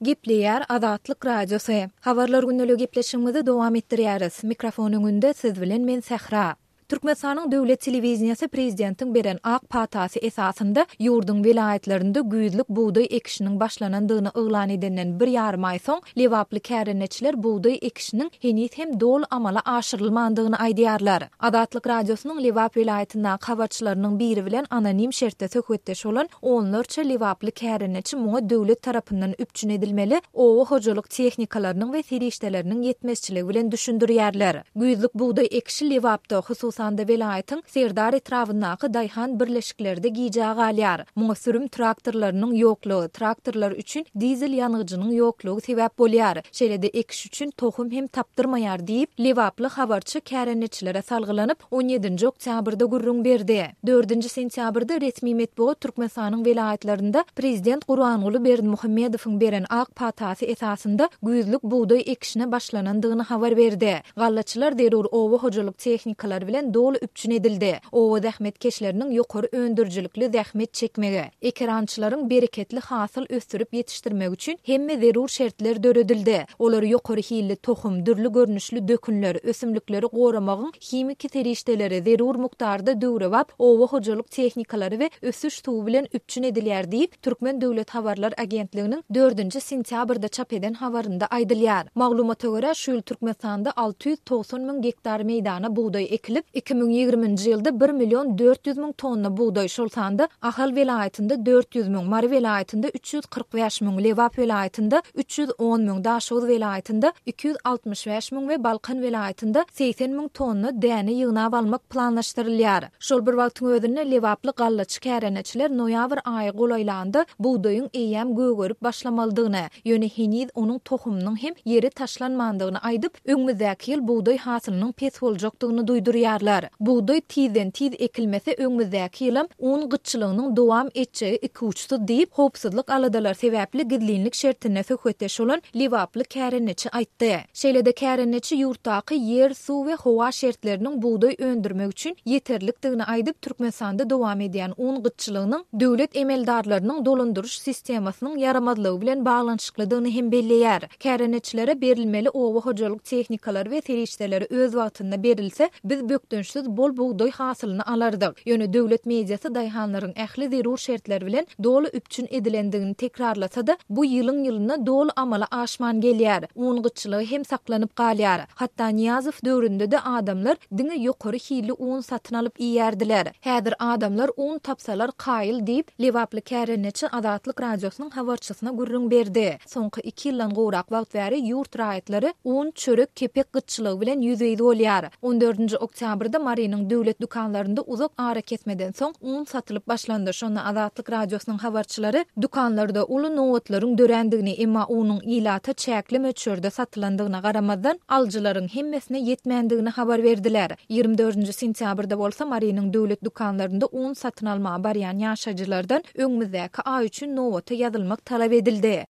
Gepleýär Azatlyk Radiosy. Habarlar gündeligi gepleşigimizi dowam etdirýäris. Mikrofon öňünde siz bilen men Sähra. Türkmenistanyň döwlet telewideniýesi prezidentiň beren ak patasy esasynda ýurduň welaýatlarynda güýzlük bugdaý ekişiniň başlanandygyny yglan edenden bir ýarym aý soň, lebaply kärendeçiler bugdaý ekişiniň heniz hem doly amala aşyrylmandygyny aýdýarlar. Azatlyk Radiosynyň Lebap welaýatyndaky habarçylarynyň biri bilen anonim şertde söhbetdeş bolan Onlarça lebaply kärendeçi muňa döwlet tarapyndan üpjün edilmeli oba hojalyk tehnikalarynyň we serişdeleriniň ýetmezçiligi bilen düşündirýärler. Güýzlük bugdaý ekişi Lebapda, hususan-da welaýatyň Serdar etrabyndaky daýhan birleşiklerde gijä galýar. Muňa sürüm traktorlarynyň ýoklugy, traktorlar üçin dizel ýangyjynyň ýoklugy sebäp bolýar. Şeýle-de ekiş üçin tohum hem tapdyrmaýar diýip, lebaply habarçy kärendeçilere salgylanyp, on ýedinji oktýabrda gürrüň berdi. Dördünji sentýabrda resmi metbugat Türkmenistanyň welaýatlarynda prezident Gurbanguly Berdimuhamedowyň beren ak patasy esasynda güýzlük bugdaý ekişine başlanandygyny habar berdi. Gallaçylar zerur oba hojalyk tehnikalary bilen doly üpjün edildi. Oba zähmetkeşleriniň ýokary öndürijilikli zähmet çekmegi, ekerançylaryň bereketli hasyl ösdürip ýetişdirmegi üçin hemme zerur şertler döredildi. Olar ýokary hilli tohum, dürli görnüşli dökünler, ösümlikleri goramagyň himiki serişdeleri, zerur mukdarda döwrebap oba hojalyk tehnikalary we ösüş suwy bilen üpjün edilýär diýip, Türkmen döwlet habarlar agentliginiň dördünji sentýabrda çap eden habarynda aýdylýar. Maglumata görä, şu ýyl Türkmenistanda 690 müň gektar meýdana bugdaý ekilip, 2020-nji ýylda bir million 400 müň tonna bugdaý, şol sanda Ahal welaýatynda 400 müň, Mary welaýatynda 345 müň, Lebap welaýatynda 310 müň, Daşoguz welaýatynda 265 müň we Balkan welaýatynda 80 müň tonna däne ýygnap almak planlaşdyrylýar. Şol bir wagtyň özünde lebaply gallaçy kärendeçiler noýabr aýy golaýlanda bugdaýyň eýýäm gögerip başlamalydygyny, ýöne heniz onuň tohumynyň hem ýere taşlanmandygyny aýdyp, öňümizdäki ýyl bugdaý hasylynyň pes boljakdygyny duýdurýarlar. Bugdaý tizden-tiz ekilmese öňümizdäki ýylam un gytçylygynyň dowam etjegi ikuçsuz diýip, howpsuzlyk aladalary sebäpli gizlinlik şertinde söhbetdeş bolan lebaply kärendeçi aýtdy. Şeýle-de kärendeçi ýurtdaky ýer, suw we howa şertleriniň bugdaý öndürmek üçin ýeterlikdigini aýdyp, Türkmenistanda dowam edýän un gytçylygynyň döwlet emeldarlarynyň dolandyryş sistemasynyň ýaramazlygy bilen baglanyşyklydygyny hem belleýär. Kärendeçilere berilmeli oba hojalyk tehnikalary we serişdeleri öz wagtynda berilse, biz bökdençsiz bol bugdaý hasylyny alardyk. Ýöne döwlet mediasy daýhanlaryň ähli zerur şertler bilen doly üpjün edilendigini tekrarlasa-da, bu ýylyň-ýylyna doly amala aşman gelýär. Un gytçylygy hem saklanyp galýar. Hatda Nyýazow döwründe-de adamlar diňe ýokary hilli un satyn alyp iýýärdiler. Häzir adamlar un tapsalar kaýyl diýip, lebaply kärendeçi Azatlyk Radiosynyň habarçysyna gürrüň berdi. Soňky iki ýyldan gowrak wagt bäri ýurt raýatlary un, çörek, kepek gytçylygy bilen ýüzbe-ýüz bolýar. On dördünji oktýabrda Marynyň döwlet dükanlarynda uzak arakesmeden soň un satylyp başlandy. Şonda Azatlyk Radiosynyň habarçylary dükanlarda uly nobatlaryň dörändigini, emma unuň ilata çäkli möçberde satylandygyna garamazdan, alyjylaryň hemmesine ýetmändigini habar berdiler. 24-nji sentýabrda bolsa Marynyň döwlet dükanlarynda un satyn almaga barýan ýaşaýjylardan öňümizdäki aý üçin nobata ýazylmak talap edildi.